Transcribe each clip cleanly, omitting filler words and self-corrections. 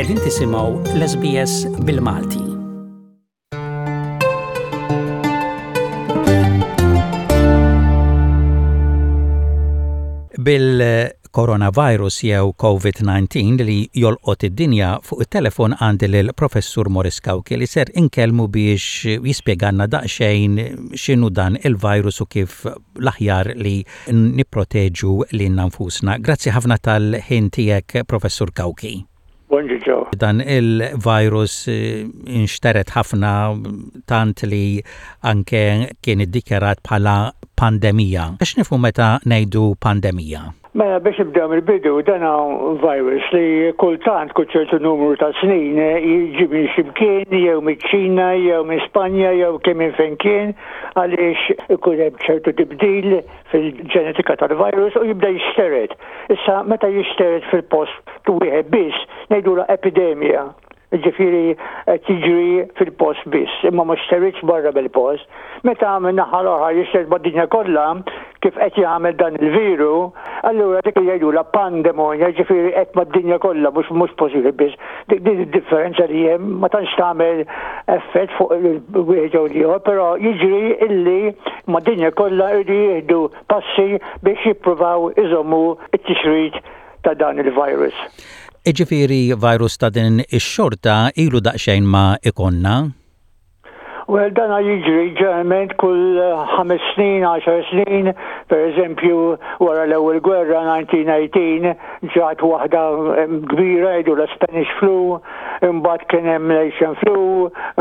Qegħdin tisimgħu l-SBS bil-Malti. Bil-coronavirus jew COVID-19 li jolqot id-dinja fuq it-telefon għandi lil Professur Morris Cauchi li ser inkellmu biex jispjegalna daqsxejn x'inhu dan il-virus u kif l-aħjar li nipproteġu lilna nfusna. Grazzi ħafna tal-ħin tiegħek Professur Cauchi. Bonġu Joe. Dan il-virus inxtered ħafna tant li anke kien iddikjarat bħala pandemija. X'nifhmu meta ngħidu pandemija? Mela biex nibdew mill-bidu, dan virus li kultant kull ċertu numru ta' snin jiġi minn ximkien jew miċ-Ċina jew minn Spanja jew kemm minn fejn kien għaliex ikun hemm ċertu tibdil fil-ġenetika tal-virus u jibda jixtered. Issa meta jixtered fil-post wieħed biss, ngħidulha epidemija. Ġifieri qed jiġri fil-post biss, imma ma xteridx barra mill-post. Meta min-naħa l-oħra jixtered mad-dinja kollha, kif qed jagħmel dan il-viru, allura dik li jgħidulha pandemonja, ġifieri qed mad-dinja kollha mhux mhux post wieħed biss. Dik din id-differenza li hemm ma tantx tagħmel effett fuq wieħed jew l-ieħor, però jiġri illi mad-dinja kollha jridu jieħdu passi biex jippruvaw iżommu t-tixrid ta' dan il-virus. Jiġifieri virus ta' din ix-xorta ilu daqsxejn ma jkollna? Well, dana jiġri ġeneralment kull ħames snin, għaxar snin, per eżempju, wara l-ewwel gwerra 1918 ġat waħda kbira jgħidu la Spanish flu, imbagħad kien hemm l-Asian flu,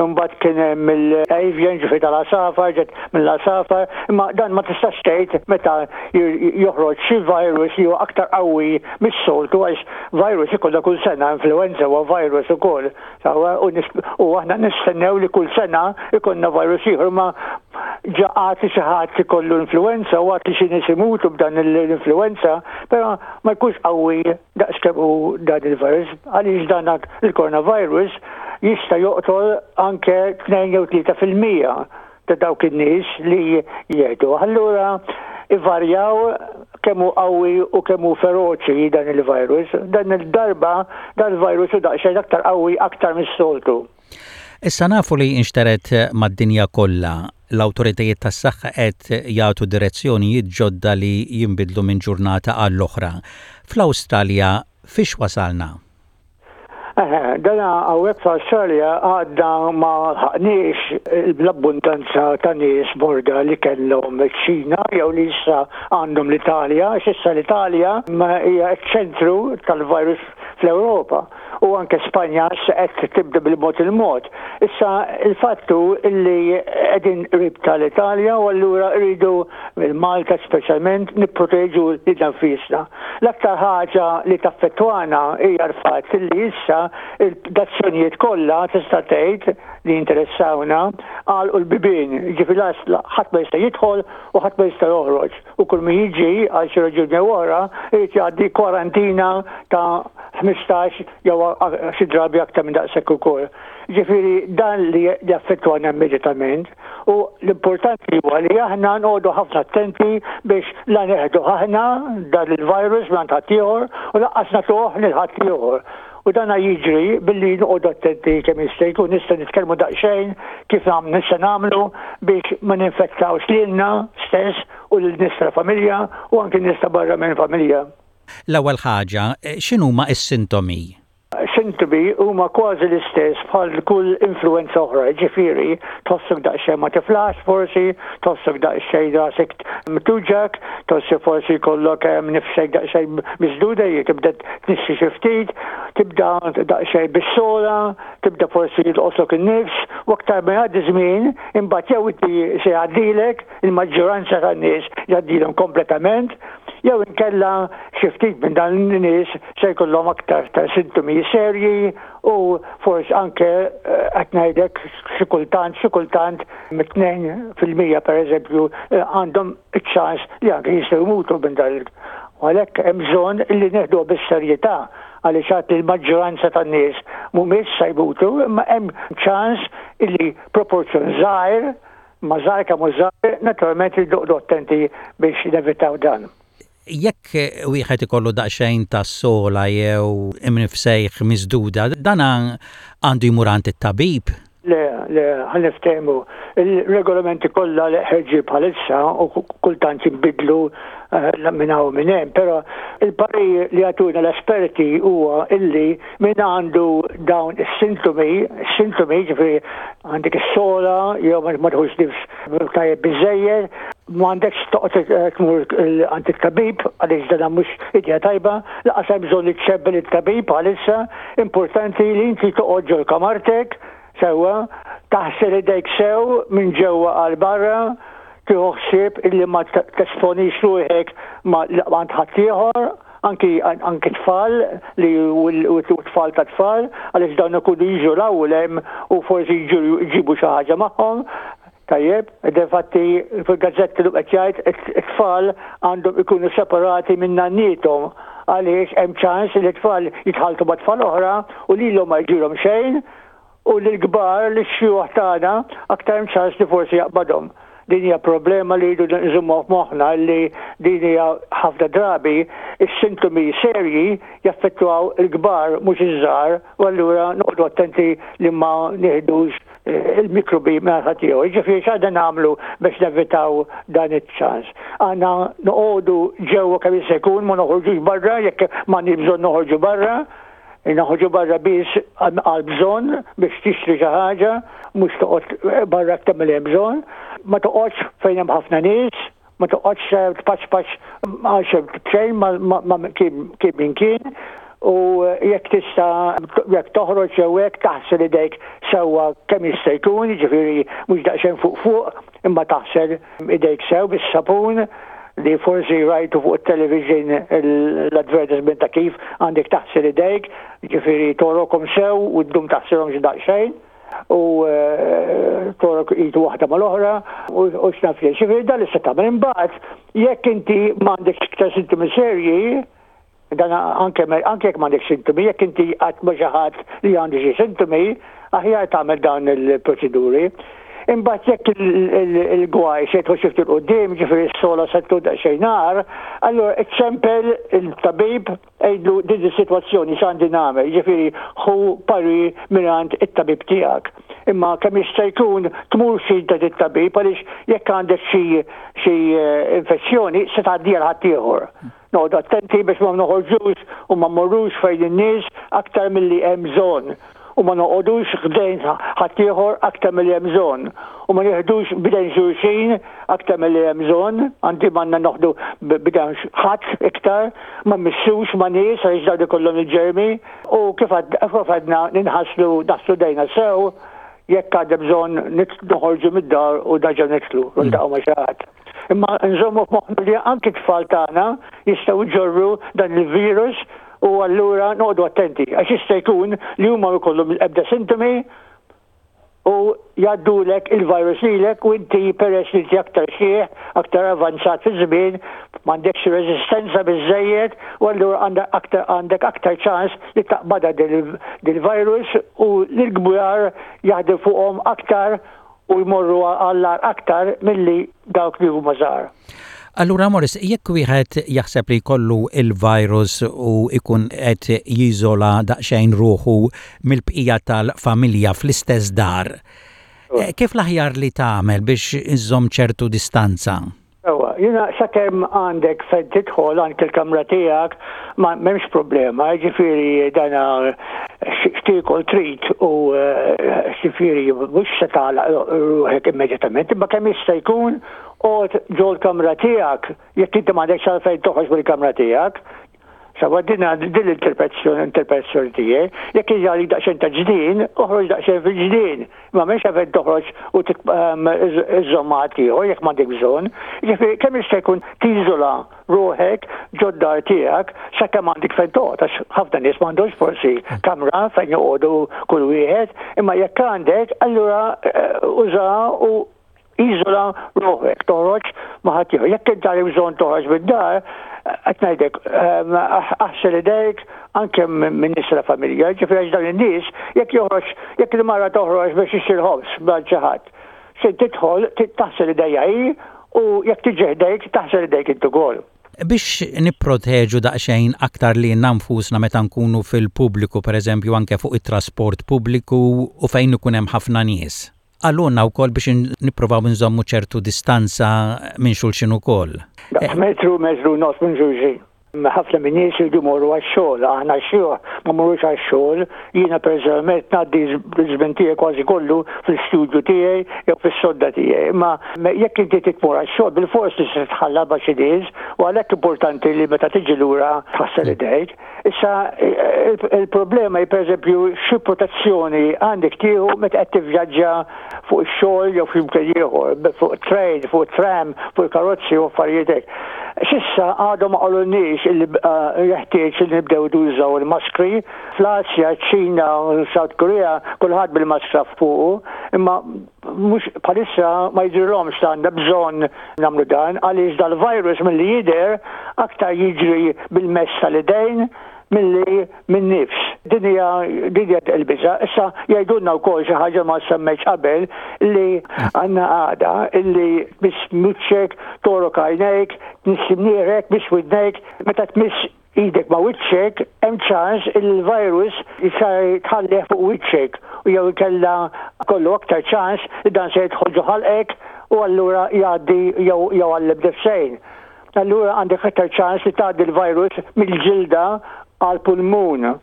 imbagħad kien hemm l-avian ġifi tal-għasafar, ġet mill-għasafar, imma dan ma tistax tgħid meta joħroġ xi virus li huwa aktar qawwi mis-soltu għax virus ikollha kull sena, influenza huwa virus ukoll. Sewwa, u aħna nistennew li kull sena ikollna virus ieħor ma ġa għad li xi ħadd ikollu influenza u għad li xi nies imutu b'dan l-influenza, però ma jkunx qawwi daqs kemm hu dan il-virus għaliex dan il-coronavirus jista' joqtol anke 2 jew 3% ta' dawk in-nies li jieħdu. Allura ivarjaw kemm hu qawwi u kemm hu feroċi dan il-virus. Dan il-darba dan il-virus hu daqsxejn aktar qawwi aktar mis-soltu. Issa nafu li inxtered mad-dinja kollha. L-awtoritajiet tas-saħħa qed jagħtu direzzjonijiet ġodda li jinbidlu minn ġurnata għall-oħra. Fl-Awstralja fiex wasalna? Eħe, dana hawnhekk fl-Awstralja għadna ma lħaqniex l-abbundanza ta' nies morda li kellhom iċ-Ċina jew li issa għandhom l-Italja, għax issa l-Italja hija ċ-ċentru tal-virus fl-Ewropa u anke Spanja issa qed tibda bil-mod il-mod. Issa il-fatt hu li qegħdin qrib tal-Italja u allura rridu Malta speċjalment nipproteġu lilna nfisna. L-aktar ħaġa li taffettwana hija l-fatt li issa l-azzjonijiet kollha tista' tgħid li jinteressawna għalqu l-bibien, jiġifieri ħadd ma jista' jidħol u ħadd ma jista' joħroġ u kull min jiġi għal xi raġuni jew oħra jrid jgħaddi kwarantina ta' 15 jew xi drabi aktar minn daqshekk ukoll. Ġifieri dan li jaffettwana immedjatament. U l-importanti huwa li aħna nqogħdu ħafna attenti biex la neħdu aħna dan il-virus minn ħaddieħor u lanqas nagħtuh lil ħaddieħor. U dan jiġri billi noqogħdu attenti kemm jista' jkun nista' nitkellmu daqsxejn kif nista' nagħmlu biex ma ninfettawx lilna stess u lil nies tal-familja u anke nies ta' barra minn familja. L-ewwel ħaġa, x'inhuma s-sintomi? Sintomi huma kważi l-istess bħal kull influwenza oħra, jiġifieri tħossok daqsxejn ma tiflaħx forsi, tħossok daqsxejn rasek tuġgħek, tħossi forsi jkollok nifsek daqsxejn misduda, tibda tnixxi xi ftit, tibda daqsxejn bis-sogħla, tibda forsi jolqotlok in-nifs u aktar ma jgħaddi żmien imbagħad jew inti se jgħaddilek, il-maġġoranza tan-nies jgħaddilhom kompletament, jew inkella xi ftit minn dan in-nies se jkollhom aktar ta' sintomi serji u forsi anke eh, qed ngħidlek xi kultant xi kultant mit-2% pereżempju eh, għandhom iċ-ċans li anke jistgħu jmutu minn dan U għalhekk hemm bżonn li neħduha bis-serjetà għaliex għad li l-maġġoranza tan-nies mhumiex se jmutu, imma hemm ċans li proporzjon żgħir, ma żgħir kemm hu żgħir, naturalment irridu noqogħdu attenti biex nevitaw dan. Jekk wieħed ikollu daqsxejn ta' sogħla jew imnifsejh misduda, dan għandu jmur għand it-tabib? Le, le, ħa niftehmu. Il-regolamenti kollha li ħerġin bħalissa u kultant jinbidlu eh, minn hawn minn hemm, però il-parir li jagħtuna l-esperti huwa illi min għandu dawn is-sintomi, sintomi ġifieri għandek is-sola jew ma tħux nifs tajjeb biżejjed, m'għandekx toqgħod eh, tmur għand it-tabib għaliex dan mhux idea tajba, laqas hemm bżonn li ċċebbel it-tabib għalissa, Importanti li inti toqgħod ġol kamartek, sewwa, taħsel idejk sew minn ġewwa għal barra, tieħu ħsieb illi ma tesponix ruħek ma għand ħaddieħor, anki anki tfal li u tfal ta' tfal, għaliex dawn ikunu jiġu l-ewwel hemm u forsi jġibu xi ħaġa magħhom. Tajjeb, defatti fil-gazzetti lu qed jgħid it-tfal għandhom ikunu separati minn nanniethom għaliex hemm ċans li t-tfal jitħalltu ma' tfal oħra u lilhom ma jġilhom xejn u lill-kbar, lix-xjuħ tagħna aktar hemm ċans li forsi jaqbadhom. Din hija problema li rridu nżommuha f'moħħna li din hija ħafna drabi is-sintomi serji jaffettwaw il-kbar mhux iż-żgħar u allura noqogħdu attenti li ma nieħdux il-mikrobi minn ħaddieħor. Jiġifieri x'għandna nagħmlu biex nevitaw dan iċ-ċans? Għandna noqogħdu ġewwa kemm jista' jkun, ma noħorġux barra jekk m'għandniex bżonn noħorġu barra. Noħorġu barra biss għal bżonn biex tixtri xi ħaġa, mhux toqgħod barra aktar milli hemm bżonn. Ma toqgħodx fejn hemm ħafna nies, ma toqgħodx eh, tpaċpaċ għal b'xejn ma kien min kien u jekk tista' jekk toħroġ jew hekk taħsel idejk sewwa kemm jista' jkun, jiġifieri mhux daqsxejn fuq fuq, imma taħsel idejk sew bis-sapun li forsi rajtu fuq it-television l-advertisement ta' kif għandek taħsel idejk, ġifieri torokom sew u ddum taħsilhom xi daqsxejn. u eh, torok id waħda mal-oħra u x'naf jien. Ġifieri dan li se tagħmel imbagħad jekk inti m'għandekx iktar sintomi serji, dan anke anke jekk m'għandek sintomi, jekk inti qatt ma xi ħadd li għandu xi sintomi, aħjar tagħmel dawn il-proċeduri. Imbagħad jekk il-gwaj se jidħol xi ftit quddiem, ġifieri s-sola se tkun daqsxejn nar, allura iċċempel il-tabib Għidlu din is-sitwazzjoni x'għandi nagħmel, jiġifieri ħu parir mingħand it-tabib tiegħek. Imma kemm jista' jkun tmurx int għand it-tabib għaliex jekk għandek xi xi infezzjoni se tgħaddiha 'l ħaddieħor. Noqogħdu attenti biex ma noħorġux u ma mmorrux fejn in-nies aktar milli hemm bżonn. u ma noqogħdux ħdejn ħaddieħor aktar milli hemm bżonn u ma nieħdux b'idejn xulxin aktar milli hemm bżonn, anzi m'għandna noħdu b'idejn ħadd iktar, ma mmissux ma' nies għaliex dawn ikollhom il-ġermi u kif għadna ninħaslu naħslu dejna sew jekk għadha bżonn noħorġu mid-dar u nerġgħu nidħlu u niltaqgħu ma' xi ħadd. Imma nżommu f'moħħna li anki t-tfal tagħna jistgħu jġorru dan il-virus u allura noqogħdu attenti għax jista' jkun li huma ma jkollhom ebda sintomi u jgħaddulek il-virus lilek u inti peress li inti aktar xieħ, aktar avanzat fiż-żmien, m'għandekx reżistenza biżżejjed u allura għandek aktar għandek aktar ċans li taqbadha dil-virus u l-kbar jaħdem fuqhom aktar u jmorru għall-agħar aktar milli dawk li huma żgħar. Allura Morris, jekk wieħed jaħseb li jkollu il-virus u jkun qed jiżola daqsxejn ruħu mill-bqija tal-familja fl-istess dar, eh, kif l-aħjar li tagħmel biex iżżomm ċertu distanza? Ewa, jiena sakemm għandek fejn tidħol anke l-kamra tiegħek ma m'hemmx problema, jiġifieri dana x'tiekol trid u eh, ġifieri mhux se tagħlaq ruħek immedjatament, imma kemm jista' jkun oqgħod ġol-kamra tiegħek jekk inti m'għandekx għalfejn toħroġ mill-kamra tiegħek. Sawa din din l-interpretazzjoni interpretazzjoni tiegħi, jekk hija għalik daqsxejn ta' ġnien, oħroġ daqsxejn fil-ġnien. Ma m'hemmx għalfejn toħroġ u ehm, iżżomm ma' ħaddieħor jekk m'għandek bżonn. Jiġifieri kemm jista' jkun tiżola ruħek ġod-dar tiegħek sakemm għandek fejn toqgħod għax ħafna nies m'għandhomx forsi kamra fejn joqogħdu kull wieħed, imma jekk għandek allura eh, uża u Iżola ruħek, toħroġ ma' ħaddieħor. Jekk int għandek bżonn toħroġ mid-dar, qed ngħidlek, ehm, aħsel idejk anke minn nies la familja, ġifieri għax dawn in-nies jekk joħroġ, jekk il-mara toħroġ biex tixtri l-ħobż b'għand xi ħadd, se tidħol taħsel idejha hi u jekk tiġi ħdejk taħsel idejk int ukoll. Biex nipproteġu daqsxejn aktar lilna nfusna meta nkunu fil-pubbliku, pereżempju anke fuq it-trasport pubbliku u fejn ikun hemm ħafna nies. Qalulna wkoll biex nippruvaw inżommu ċertu distanza minn xulxin ukoll. Daqs metru, metru u nofs minn xulxin. Ħafna min-nies iridu jmorru għax-xogħol, aħna x-xjuħ ma mmorrux għax-xogħol. Jiena personalment ngħaddi ż-żmien tiegħi kważi kollu fl-istudju tiegħi jew fis-sodda tiegħi. Imma jekk inti trid tmur għax-xogħol bilfors li se titħallat ma' xi nies u għalhekk importanti li meta tiġi lura tħassel idejk. Issa il-problema hi pereżempju xi protezzjoni għandek tieħu meta qed tivvjaġġa fuq ix-xogħol jew xi mkien ieħor, fuq train, fuq tram, fuq il-karozzi u affarijiet hekk. S'issa għadhom ma qalulniex illi eh, jeħtieġ li nibdew nużaw il-maskri. Fl-Asja, ċ-Ċina u South Korea kulħadd bil-maskra fuqu, imma mhux bħalissa ma jidhirlhomx li għandna bżonn nagħmlu dan għaliex dal-virus milli jidher aktar jiġri bil-mess tal-idejn milli min-nifs. Din hija din hija l-biża'. Issa jgħidulna wkoll xi ħaġa ma semmejtx qabel li għandna għada illi tmiss wiċċek, torok għajnejk, tmiss imnieħrek, tmiss widnejk, meta tmiss idek ma' wiċċek hemm ċans li l-virus tħallih fuq wiċċek u jew inkella kollu aktar ċans li dan se jidħol ġo ħalqek u allura jgħaddi jew jew għall-imnifsejn. Allura għandek aktar ċans li tgħaddi l-virus mill-ġilda għall-pulmun.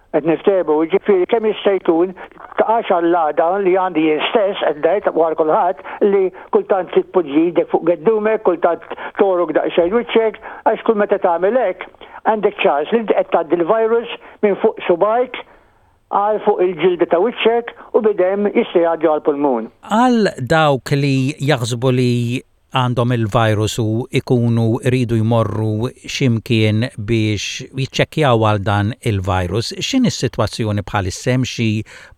Qed niftehmu, jiġifieri kemm jista' jkun taqax għall-għada li għandi jien stess qed ngħid wara kulħadd li kultant tpoġġi idek fuq geddumek, kultant torok daqsxejn wiċċek, għax kull meta tagħmel hekk għandek ċans li inti qed tgħaddi l-virus minn fuq subgħajk għal fuq il-ġilda ta' wiċċek u bidem jista' jgħaddi għall-pulmun. Għal dawk li jaħsbu li għandhom il-virus u jkunu jridu jmorru xi mkien biex jiċċekkjaw għal dan il-virus. X'inhi s-sitwazzjoni bħalissa hemm xi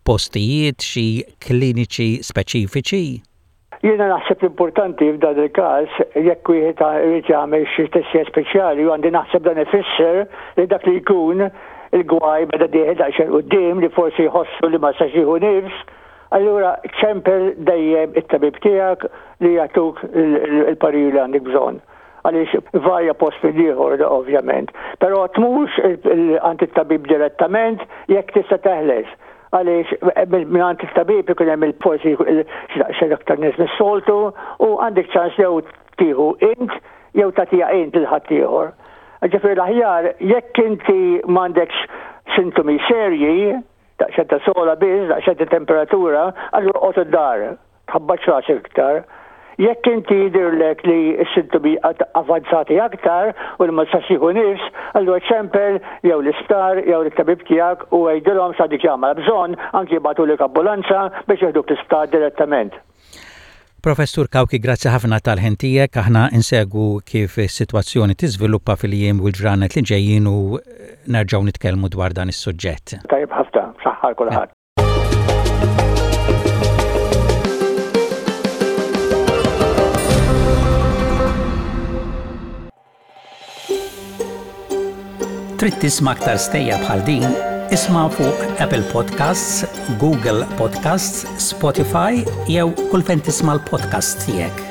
postijiet, xi kliniċi speċifiċi? Jiena naħseb l-importanti f'dan il-każ jekk wieħed irid jagħmel xi testija speċjali u għandi naħseb dan ifisser li dak li jkun il-gwaj beda dieħel daqsxejn quddiem li forsi jħossu li ma sax jieħu nifs, Allura ċempel dejjem it-tabib tiegħek li jagħtuk il-parir li għandek bżonn. Għaliex varja post minn ieħor ovvjament. Però tmurx għand it-tabib direttament jekk tista' teħles. Għaliex minn għand it-tabib ikun hemm forsi xi daqsxejn aktar nies mis-soltu u għandek ċans jew tieħu int jew tagħtiha int lil ħaddieħor. Ġifieri l-aħjar jekk inti m'għandekx sintomi serji, Daqsxejn ta' sogħla biss, daqsxejn ta' temperatura, allura oqgħod id-dar, tħabbatx rasek iktar. Jekk inti jidhirlek li s-sintomi avvanzati aktar u li ma tistax tieħu nifs, allura ċempel jew l-isptar jew lit-tabib tiegħek u għidilhom x'għandek jagħmel. Bżonn anki jibagħtulek ambulanza biex jeħduk l-isptar direttament. Professur Cauchi grazzi ħafna tal-ħin tiegħek, aħna insegwu kif is-sitwazzjoni tiżviluppa fil-jiem u l-ġranet li ġejjin u nerġgħu nitkellmu dwar dan is-suġġett. Tajjeb ħafna, saħħa għal kulħadd. Trid tisma' aktar stejjer bħal din? Isma' fuq Apple Podcasts, Google Podcasts, Spotify jew kull fejn tisma' l-podcasts tiegħek.